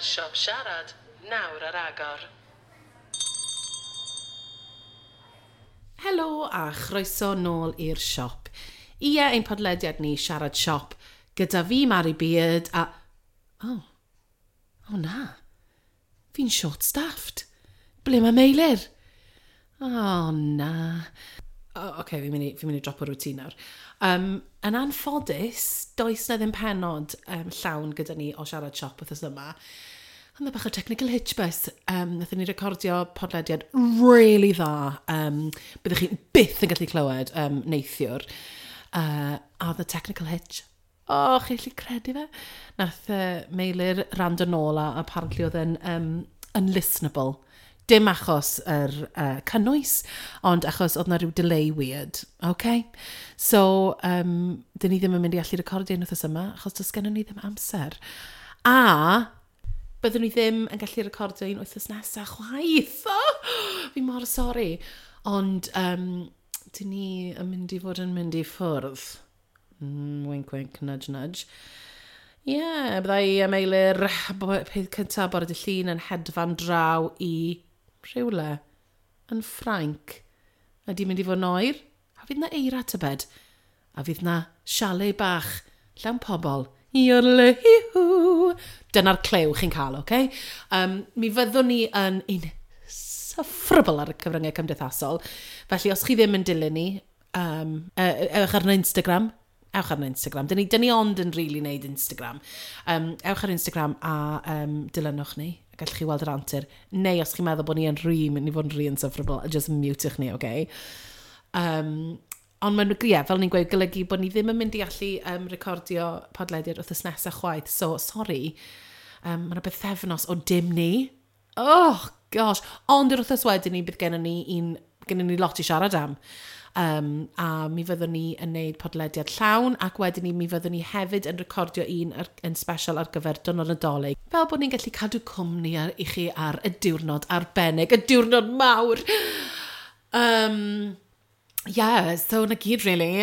gyfer Siop Siarad nawr ar agor. Helo a chroeso nôl i'r siop. Ie, ein podlediad ni, Siarad Siop, gyda fi, Mari Beard, a... Oh, oh na. Fi'n short-staffed. Ble mae Meilir? Oh na. Oh, oce, okay, fi'n mynd i, fi mynd i dropo routine nawr. Yn anffodus, does na ddim penod llawn gyda ni o Siarad Siop wythnos yma. Ond bach o technical hitch bus. Nathon ni recordio podlediad really dda. Byddwch chi byth yn gallu clywed neithiwr. A the technical hitch. Oh, chi'n gallu credu fe? Nath Meilir rando nôl a apparently oedd yn unlistenable. Dim achos yr cynnwys, ond achos oedd na rhyw delay weird. Okay? So, dyn ni ddim yn mynd i allu recordio un wythnos yma, achos does gennym ni ddim amser. A byddwn ni ddim yn gallu recordio un wythnos nesaf chwaith. Oh, fi mor sori. Ond dyn ni yn mynd i fod yn mynd i ffwrdd. Wink, wink, nudge, nudge. Ie, yeah, byddai a Meilir peth cyntaf bore dydd Llun yn hedfan draw i rhywle yn Ffrainc. Ydy mynd i fod yn oer? A fydd na eira tybed? A fydd na chalet bach llawn pobl. Iorle-hi-hw. Dyna'r clyw chi'n cael, oce? Okay? Mi fyddwn ni yn insufferable ar y cyfryngau cymdeithasol. Felly, os chi ddim yn dilyn ni, ewch ar Instagram. Ewch ar Instagram. Dyn ni ond yn really neud Instagram. Ewch ar Instagram a dilynwch ni. Gallwch chi weld yr antur. Neu os chi'n meddwl bod ni yn rhy, mynd i fod yn rhy insufferable, just mutewch ni, oce? Ond mae'n, ie, fel ni'n gweud, golygu bod ni ddim yn mynd i allu recordio podlediad wythnos nesaf chwaith. So, sorry. Mae yna bythefnos o dim ni. Oh, gosh. Ond yr wythnos wedyn ni, bydd gennym ni, gennym ni lot i siarad am. A mi fyddwn ni yn neud podlediad llawn, ac wedyn ni mi fyddwn ni hefyd yn recordio un yn special ar gyfer Diwrnod Nadolig. Fel bod ni'n gallu cadw cwmni i chi ar y diwrnod arbennig, y diwrnod mawr. Yeah, so na gyd, really.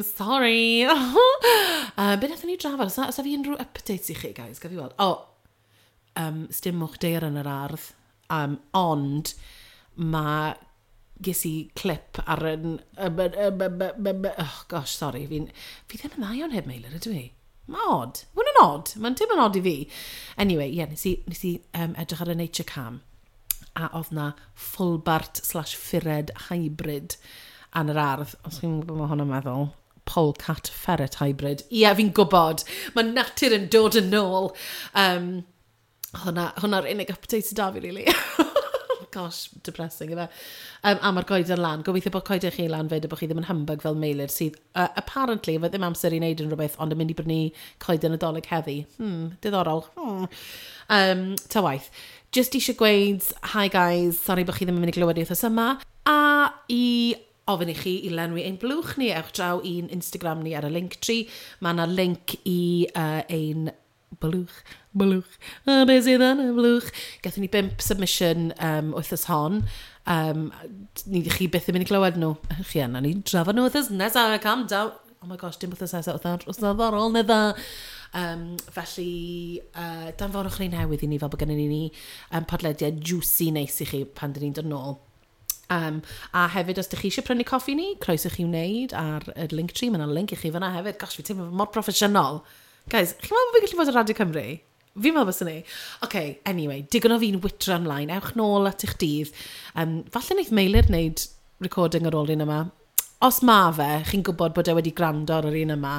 Sorry. Be wnaethon ni drafod? Oes 'na fi unrhyw updates i chi, guys? Gaf fi weld? Oh, sdim moch daear yn yr ardd. Ond mae ges i clip ar yn... Oh, gosh, sorry. Fi ddim yn dda iawn heb Meilir, ydw i? Mae'n odd. Mae'n yn odd. Mae'n dim yn odd i fi. Anyway, yeah, nes i edrych ar y Nature Cam a oedd na ffwlbart / ffured hybrid yn yr ardd. Os chi'n gwybod mae hwnna'n meddwl, polecat ferret hybrid. Ie, yeah, fi'n gwybod. Mae natur yn dod yn ôl. Hwnna'r unig update sydd da fi, really. Gosh, depressing, yfe. A mae'r goeden lan. Gobeithio bod coeden chi lan fyd a bod chi ddim yn humbug fel Meilir sydd, apparently, efo ddim amser i wneud unrhyw beth, ond yn mynd i brynu coeden Nadolig heddi. Diddorol. Ta waith. Just eisiau gweud, hi guys, sorry bod chi ddim yn mynd i glywed i wythnos yma. A i ofyn i chi i lenwi ein blwch ni, ewch draw i'n Instagram ni ar y Linktree. Mae yna link i ein blwch, a beth sydd yn y blwch. Gathon ni bump submission wythnos hon. Ni chi byth yn mynd i glywed nhw. Chi yna, ni drafod nhw wythnos nesaf, calm down. Oh my gosh, dim wythnos nesaf, wythnos ar ôl neu dda. Felly, danfonwch ni newydd i ni fel bod gennym ni podlediad juicy neis i chi pan dyn ni'n dod nôl. A hefyd, os ydych chi eisiau prynu coffi ni, croeso chi wneud ar y Linktree. Mae yna link i chi fyna hefyd. Gosh, fi teimlo mor proffesiynol. Guys, chi'n meddwl bod fi'n gallu bod ar Radio Cymru? Fi'n meddwl byswn ni. OK, anyway, digon o fi'n witro ymlaen. Ewch nôl at eich dydd. Falle wneith Meilir wneud recording ar ôl un yma. Os ma fe, chi'n gwybod bod e wedi gwrando ar yr un yma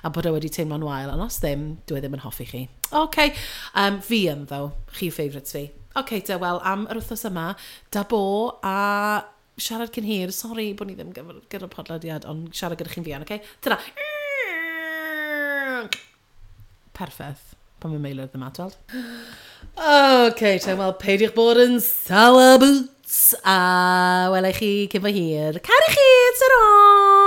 a bod e wedi teimlo'n wael. Ond os ddim, dwi e ddim yn hoffi chi. OK, fi yn ddo. Chi yw favourites fi. OK, te, wel, am yr wythnos yma, da bo a siarad cyn hir. Sorry bod ni ddim gyda'r podlediad, ond siarad gyda chi'n fuan, OK? Tyra. Perffaith. Pan mae Meilir ddim at weld. OK, te, wel, peidiwch bod yn sour boots. A welai chi cyn fo hir. Caru chi, ta-ra!